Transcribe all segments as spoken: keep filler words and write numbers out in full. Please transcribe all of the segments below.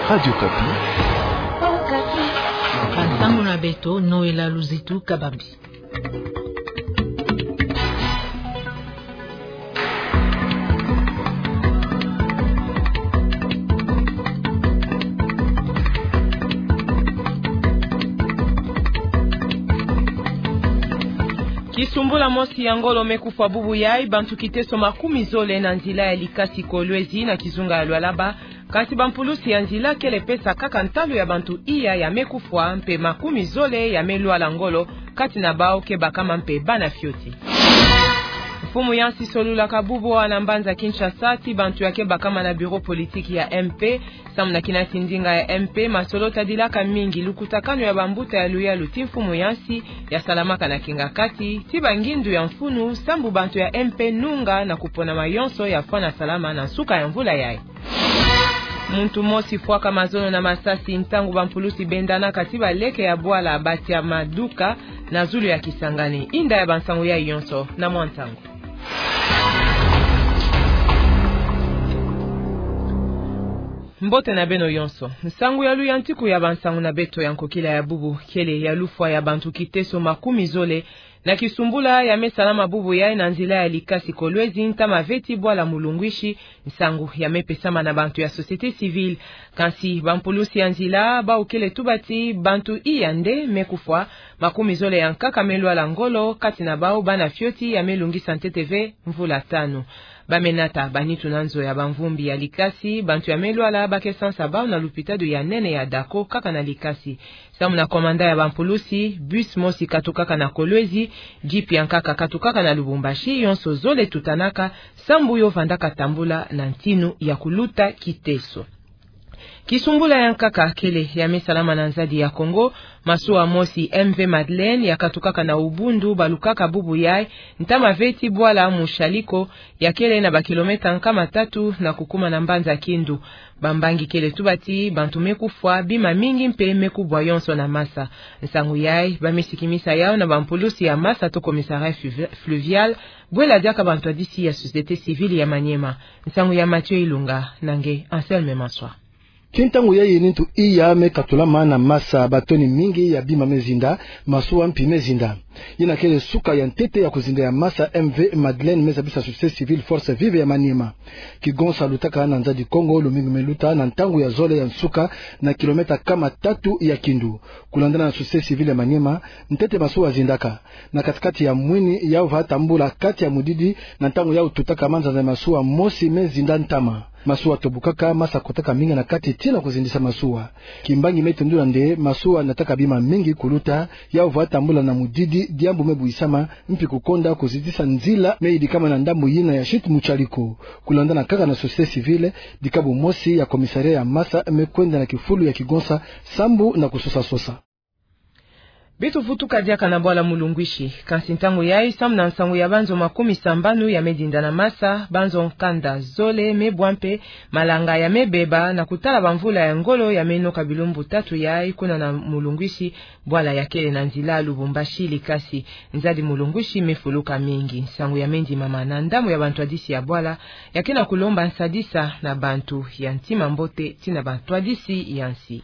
Radio Okapi. Bansangu na beto, Noëlla Luzitu Kabambi. Kisumbula mosi ya ngolo me kufwa bubu yayi, bantu kiteso makumi zole na nzila ya likasi Kolwezi na kizunga ya Lualaba. Kansi bampulusi ya nzila kele pesa kaka ntalu ya bantu iya ya me kufwa mpe makumi zole ya me lwala ngolo, kati na bawu ke bakama mpe bana fioti. Mfumu yansi solulaka bubu awa na mbanza Kinshasa ti bantu ya ke bakama na bureau politique ya M P. Samu na kinasi ndinga ya M P, masolo tadilaka mingi lukutakanu ya bambuta ya luyalu ti mfumu yansi ya salamaka na kingakati, ti bangindu ya mfunu, sambu bantu ya M P nunga na kupona mayonso ya fwana salama na nsuka ya mvula yayi. Muntu mosi fwaka mazono na masasi ntangu bampulusi bendanaka ti baleke ya bwala Batia Maduka na zulu ya Kisangani. Inda ya bansangu yayi yonso na mwa ntangu. Mbote na beno yonso. Nsangu ya luyantiku ya bansangu na beto ya nkokila ya bubu kele ya lufwa ya bantu kiteso makumi zole na kisumbula ya me salama bubu yayi na nzila ya likasi Kolwezi, ntama veti bwala Mulungwishi, nsangu ya me pesama na bantu ya société civile. Kansi bampulusi ya nzila bawu kele tuba ti bantu iya nde me kufwa, makumi zole ya nkaka me lwala ngolo, kati na bawu bana fioti ya me lungisa ntete ve mvula tanu. Ba me nata banitu na nzo ya bamvumbi ya likasi, bantu ya me lwala ba ke sansa bawu na lupitalu ya nene ya Dako kaka na likasi. Samu na komanda ya bampulusi, bus mosi katukaka na Kolwezi, jeep ya nkaka katukaka na Lubumbashi, yonso zole tutanaka, sambu yo vandaka tambula na ntinu ya kuluta kiteso. Kisumbula ya nkaka kele ya me salama na nzadi ya Kongo, masuwa mosi M V Madeleine ya katukaka na Ubundu balukaka bubu yayi, ntama veti bwala Mushaliko, ya kele na bakilometa nkama tatu na kukuma na mbanza Kindu. Bambangi kele tuba ti bantu me kufwa, bima mingi mpe me kubwa yonso na masa. Nsangu yayi ba me sikimisa yawu na bampulusi ya masa to commissariat fluvi-, fluvial, bwela diaka bantwadisi ya société civile ya Maniema. Nsangu ya Mathieu Ilunga na nge Anselme Maswa. Ti ntangu yayi nitu iya me katulama na masa, batoni mingi ya bima me zinda, masuwa mpi me zinda. Yina kele suka ya ntete ya kuzinda ya masa M V Madeleine me zabisa société civile Force Vive ya Maniema. Kigonsa lutaka na nzadi Kongo lumingu me luta na ntangu ya zole ya nsuka na kilometa nkama tatu ya Kindu. Kulandana na société civile ya Maniema, ntete masuwa zindaka. Na katikati ya mwini yawu va tambula kati ya mudidi, na ntangu yawu tutaka manzanza ya masuwa mosi me zinda ntama. Masuwa tobukaka, masa kotaka mingi na kati tii na kuzindisa masuwa. Kimbangi me tendula nde masuwa nataka bima mingi kuluta, yawu va tambula na mudidi, diambu me buyisama, mpi kukonda kuzitisa nzila me yidikama na ndambu yina ya chute Mushaliko. Kulandana kaka na société civile, dikabu mosi ya commissariat ya masa me kwenda na kifulu ya kigonsa, sambu na kusosa-sosa. Bi tuvutuka diaka na bwala Mulungwishi. Kansi ntangu yayi, samu na nsangu ya banzo makumi sambanu ya me dinda na masa, banzo nkanda zole me bwa mpe malanga ya me beba na kutala bamvula ya ngolo ya me noka bilumbu tatu yayi kuna na Mulungwishi, bwala ya kele na nzila Lubumbashi Likasi. Nzadi Mulungwishi me fuluka mingi. Nsangu ya me ndimama na ndambu ya bantwadisi ya bwala, ya ke na kulomba nsadisa na bantu ya ntima mbote tii na bantwadisi ya nsi.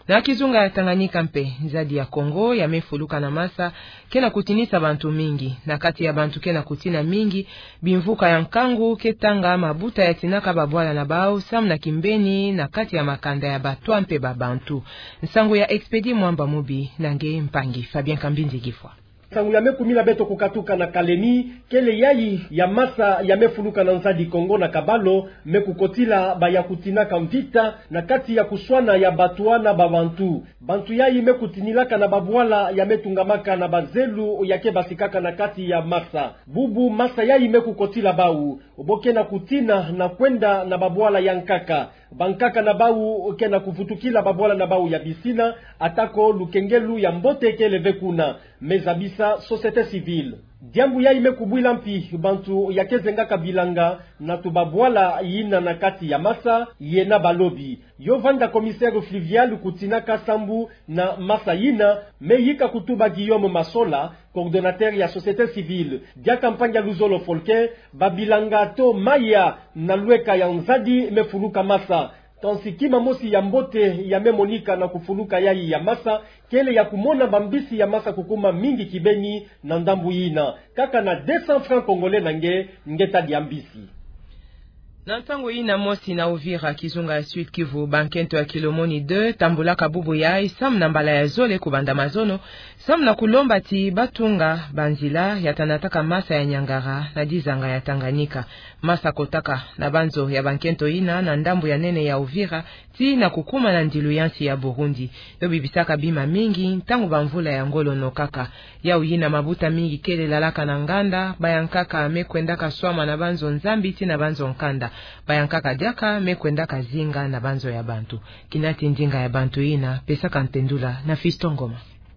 Na kizunga ya Tanganyika mpe, nzadi ya Kongo ya me fuluka na masa ke na kutinisa bantu mingi. Na kati ya bantu ke na kutina mingi, bimvuka ya nkangu ke tanga mabuta ya tinaka babwala na bawu, samu na kimbeni na kati ya makanda ya batwa mpe babantu. Nsangu ya Expédit Mwamba Mubi na nge mpangi Fabien Kambinzi Gifwa. Nsangu ya me kumina beto kukatuka na Kalemi, kele yayi ya masa ya me fuluka na nzadi Kongo na Kabalo, me kukotila ba ya kutinaka mvita na kati ya kuswana ya batwa na babantu. Bantu yayi me kutinilaka na babwala ya me tungamaka na bazelu ya ke basikaka na kati ya masa. Bubu masa yayi me kukotila bawu, bo ke na kutina na kwenda na babwala ya nkaka. Bankaka na bawu ke na kuvutukila babwala na bawu ya bisina, atako lukengelu ya mbote kele ve kuna, me zabisa société civile. Diambu yayi me kubwila mpi bantu ya ke zengaka bilanga na tubabwala yina na kati ya masa, yena balobi. Yo vanda commissaire fluvial kutinaka sambu na masa yina, me yika kutuba Guillaume Masola, coordonnateur ya société civile. Diaka mpangi ya luzolo Folke, babilanga to maya na lweka ya nzadi me fuluka masa. Kansi kima mosi ya mbote ya me monika na kufuluka yayi ya masa, kele ya kumona bambisi ya masa kukuma mingi kibeni na ndambu yina. Kaka na deux cents francs congolais na nge, nge ta lia mbisi. Na ntangu yina mosi na Uvira, kizunga ya Sud-Kivu, bankento ya Kilomoni deux tambulaka bubu yayi samu na mbala ya zole kubanda mazono, samu na kulomba ti batunga banzila ya tanataka masa ya Niangara na dizanga ya Tanganyika. Masa kotaka na banzo ya bankento yina na ndambu ya nene ya Uvira, tii na kukuma na ndilu ya nsi ya Burundi. Yo bibisaka bima mingi ntangu bamvula ya ngolo nokaka. Yawu yina mabuta mingi kele lalaka na nganda, bayankaka me kwendaka swama na banzo nzambi tii na banzo nkanda. Bayankaka diaka me kwendaka zinga na banzo ya bantu. Kinati ndinga ya bantu yina, pesaka ntendula na Fiston Ngoma.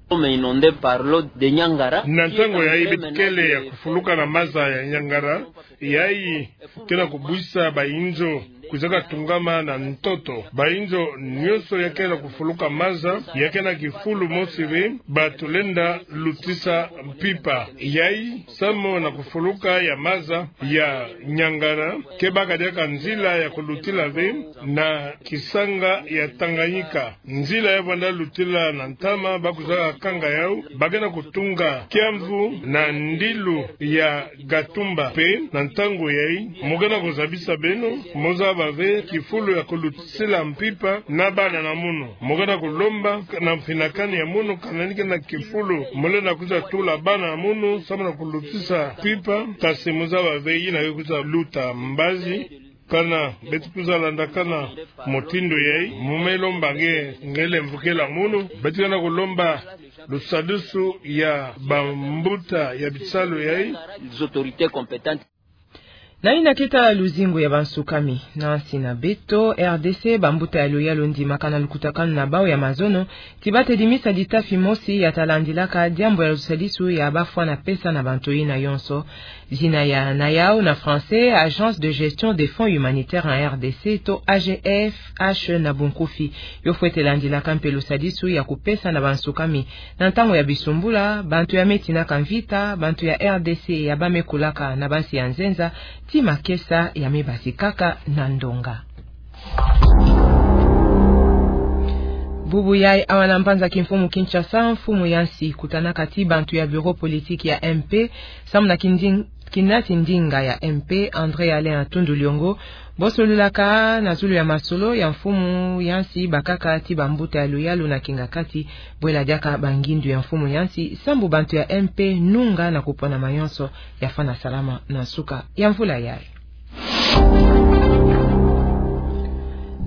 Sommes inondés par l'eau de Niangara. Na ntangu yayi beto kele ya kufuluka na masa ya Niangara, yayi ke na kubwisa bainzo kwizaka tungama na ntoto. Bainzo nyonso ya ke na kufuluka masa, ya ke na kifulu mosi ve ba tulenda lutisa mpimpa. Yayi, samu na kufuluka ya masa ya Niangara, ke baka diaka nzila ya kulutila ve na kisanga ya Tanganyika. Nzila ya vanda lutila na ntama ba kwizaka kanga yawu, ba ke na kutunga kiamvu na ndilu ya Gatumba. Mpe na ntangu yayi, mu ke na kuzabisa beno, mu zaba ve kifulu ya kulutisila mpimpa na bana na munu. Mu ke na kulomba na mfinakani ya munu, kana ni ke na kifulu mu lenda kwiza tula bana na munu samu na kulutisa mpimpa, kasi mu zaba ve yina ke kwiza luta mbazi. Kana beto kwiza landakana mutindu yayi, mu me lomba nge, nge lemvukela munu, beto ke na kulomba lusadisu ya bambuta ya bisalu yayi. Les autorités compétentes. Na yina ke tala luzingu ya bansukami. Na nsi na beto, R D C, bambuta ya luyalu ndimaka na lukutakanu na bawu ya mazono, ti ba tedimisa ditafi mosi ya ta landilaka diambu ya lusadisu ya bafwana pesa na bantu yina yonso. Zina ya, na yawu na français, Agence de gestion des fonds humanitaires en R D C, to A G F H na bunkufi. Yo fwete landilaka mpe lusadisu ya kupesa na bansukami. Na ntangu ya bisumbula, bantu ya me tinaka mvita, bantu ya R D C ya ba me kulaka na bansi ya nzenza, ti makesa ya me basikaka na ndonga. Bubu yayi awa na mbanza kimfumu Kinshasa, mfumu ya nsi kutanaka ti bantu ya bureau politique ya M P, samu na kinding-, kinati ndinga ya M P, André Alain Atundu Liongo, bosololaka na zulu ya masolo ya mfumu ya nsi bakaka ti bambuta ya luyalu na kingakati, bwela diaka bangindu ya mfumu ya nsi, sambu bantu ya M P nunga na kupona mayonso ya fwana salama na nsuka ya mvula yayi.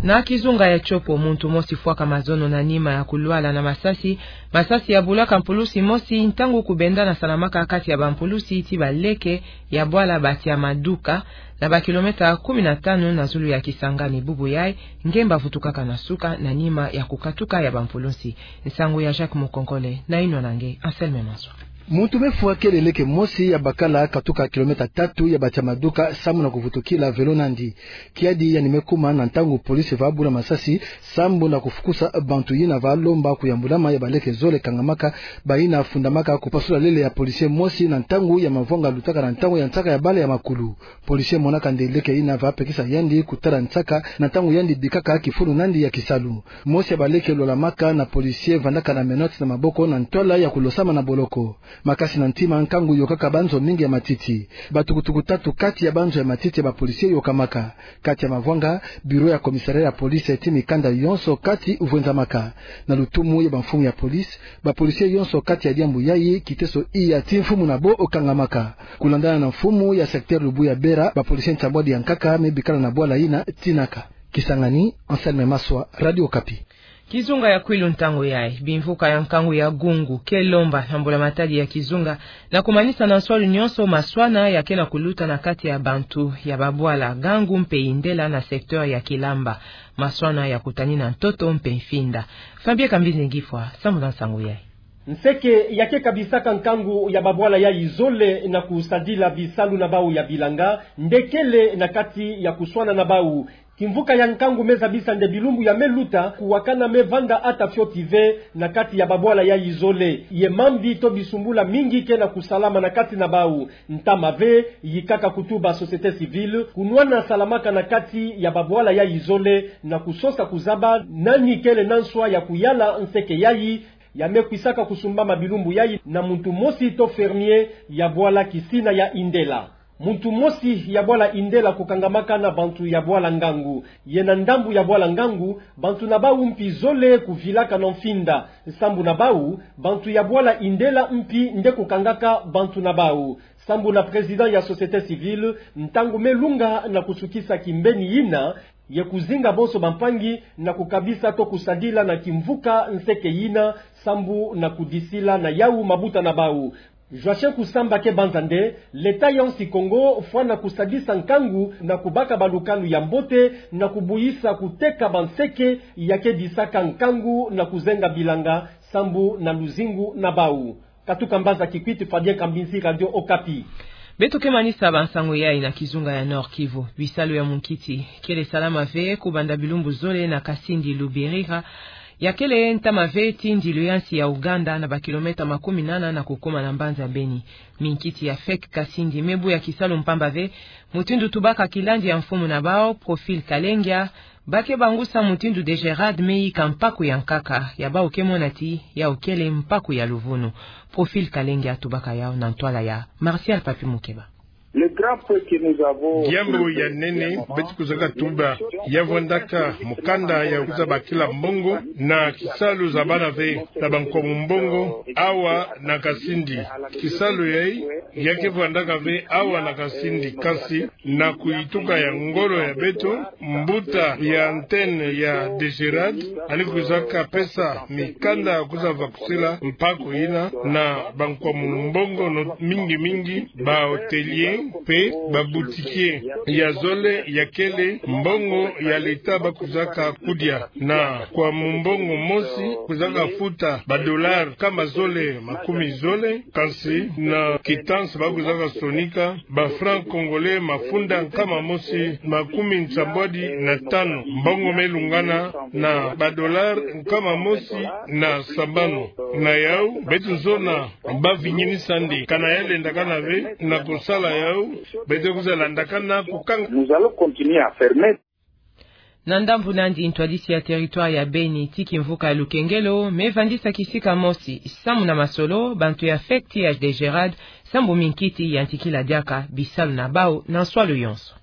Na kizunga ya Tshopo, muntu mosi fwaka mazono na nima ya kulwala na masasi. Masasi ya bulaka mpulusi mosi ntangu kubendana salamaka kati ya bampulusi ti baleke ya bwala Batiamaduka, na ba kilomètre kumi na tanu na zulu ya Kisangani. Bubu yayi, ngemba vutukaka na nsuka na nima ya kukatuka ya bampulusi. Nsangu ya Jacques Mukonkole, na inwa na nge Anselme Maswa. Muntu me fwa kele leke mosi ya bakala katuka kilomètre tatu ya Batiamaduka samu na kuvutukila vélo nandi. Kiadi yandi me kuma na ntangu polisi va bula masasi, sambu na kufukusa bantu yina va lomba kuyambulama ya baleke zole kangamaka, bayina fundamaka kupasula lele ya policier mosi na ntangu ya mavwanga lutaka na ntangu ya nsaka ya bala ya makulu. Policier monaka nde leke yina va pekisa yandi kutala nsaka na ntangu yandi bikaka kifulu nandi ya kisalu. Mosi ya baleke lwalamaka na policier vandaka na menottes na maboko na ntwala ya kulosama na boloko. Makasi na ntima, nkangu yokaka banzo mingi ya matiti. Batukutuku tatu kati ya banzo ya matiti ya bapolisie yokamaka. Kati ya mavwanga, bureau ya commissariat ya police ti mikanda yonso kati vwenzamaka. Na lutumu ya bamfumu ya police, bapolisie yonso kati ya diambu yayi, kiteso iya ti mfumu na bo okangamaka. Kulandana na mfumu ya secteur Lubuya Bera, bapolisie nsambwadi ya nkaka me bikala na bwala yina tinaka. Kisangani, Anselme Maswa, Radio Okapi. Kizunga ya Kwilu ntangu yayi, bimvuka ya nkangu ya Gungu ke lomba na mbula matadi ya kizunga na kumanisa na nswalu nyonso maswana ya ke na kuluta na kati ya bantu ya babwala Gangu mpe Indela na secteur ya Kilamba. Maswana ya kutani na ntoto mpe mfinda. Fabien Kambinzi Ngifwa, sambu na nsangu yayi. Nseke ya ke kabisaka nkangu ya babwala yayi zole na kusadila bisalu na bawu ya bilanga, nde kele na kati ya kuswana na bawu. Kimvuka ya nkangu me zabisa nde bilumbu ya me luta kuwakana me vanda ata fioti ve na kati ya babwala yayi zole. Ye mambi to bisumbula mingi ke na kusalama na kati na bau. Ntama ve, yikaka kutuba société civile, kunwana salamaka na kati ya babwala yayi zole, na kusosa kuzaba nani kele na nswa ya kuyala nseke yayi, ya me kwisaka kusumbama bilumbu yayi na muntu mosi to fermier ya bwala Kisina ya Indela. Muntu mosi ya bwala Indela kukangamaka na bantu ya bwala Ngangu. Ye na ndambu ya bwala Ngangu, bantu na bau mpi zole kuvilaka na mfinda. Sambu na bau, bantu ya bwala Indela mpi nde kukangaka bantu na bau. Sambu na président ya société civile, ntangu me lunga na kusukisa kimbeni yina, ye kuzinga bonso bampangi na kukabisa to kusadila na kimvuka nseke yina, sambu na kudisila na yau mabuta na bau. Joachim Kusamba ke banza nde, l'État ya nsi Kongo fwana kusadisa nkangu na kubaka balukalu ya mbote na kubuyisa kuteka banseke ya ke disaka nkangu na kuzenga bilanga sambu na luzingu na bau. Katuka mbanza Kikwit, Fabien Kambinzi, Radio Okapi. Beto ke manisa bansango yayi na kizunga ya Nord-Kivu. Bisalu ya munkiti kele salama ve kubanda bilumbu zole na Kasindi Luberiha, ya kele ntama ve ti ndilu ya nsi ya Ouganda na bakilomètre makumi nana na kukoma na mbanza Beni. Minkiti ya FEC Kasindi me buya kisalu mpamba ve, mutindu tubaka kilandi ya mfumu na bau, Profil Kalengia, ba ke bangusa mutindu DGRAD me yika mpaku ya nkaka, ya bau ke mona ti yau kele mpaku ya luvunu. Profil Kalengia tubaka yau na ntwala ya Martial Papi Mukeba. Le grand peu que nous avons Diambu ya nene beto kuzaka tuba, ya vwandaka mukanda ya kwiza bakila mbongo na kisalu zabana ve na bankwamu mbongo awa na Kasindi. Kisalu yayi ya ke vwandaka ve awa na Kasindi, kansi na kuyituka ya ngolo ya beto, mbuta ya antenne ya DGRAD ani kwizaka pesa mikanda ya kwiza vakusila mpaku yina na bankwamu mbongo no, mingi mingi ba hôtelier mpe ba boutiquier. Ya zole ya kele mbongo ya l'État ba kwizaka kudia na nkwamu mbongo mosi kwizaka futa ba dollars nkama zole makumi zole, kansi na quittance ba kwizaka sonika ba francs congolais mafunda nkama mosi makumi nsambwadi na tanu. Mbongo me lungana na ba dollars nkama mosi na sambanu. Na yau, beto zona ba vinyinisa nde kana ya lendakana ve na kusala yau, beto kwiza landakana kukanga. Nous allons continuer à fermer. Na ndambu nandi, ntwadisi ya territoire ya Beni ti kimvuka ya Lukengelo me vandisa kisika mosi samu na masolo bantu ya FEC ti ya DGRAD, sambu minkiti yantikila diaka bisalu na bau na nswalu yonso.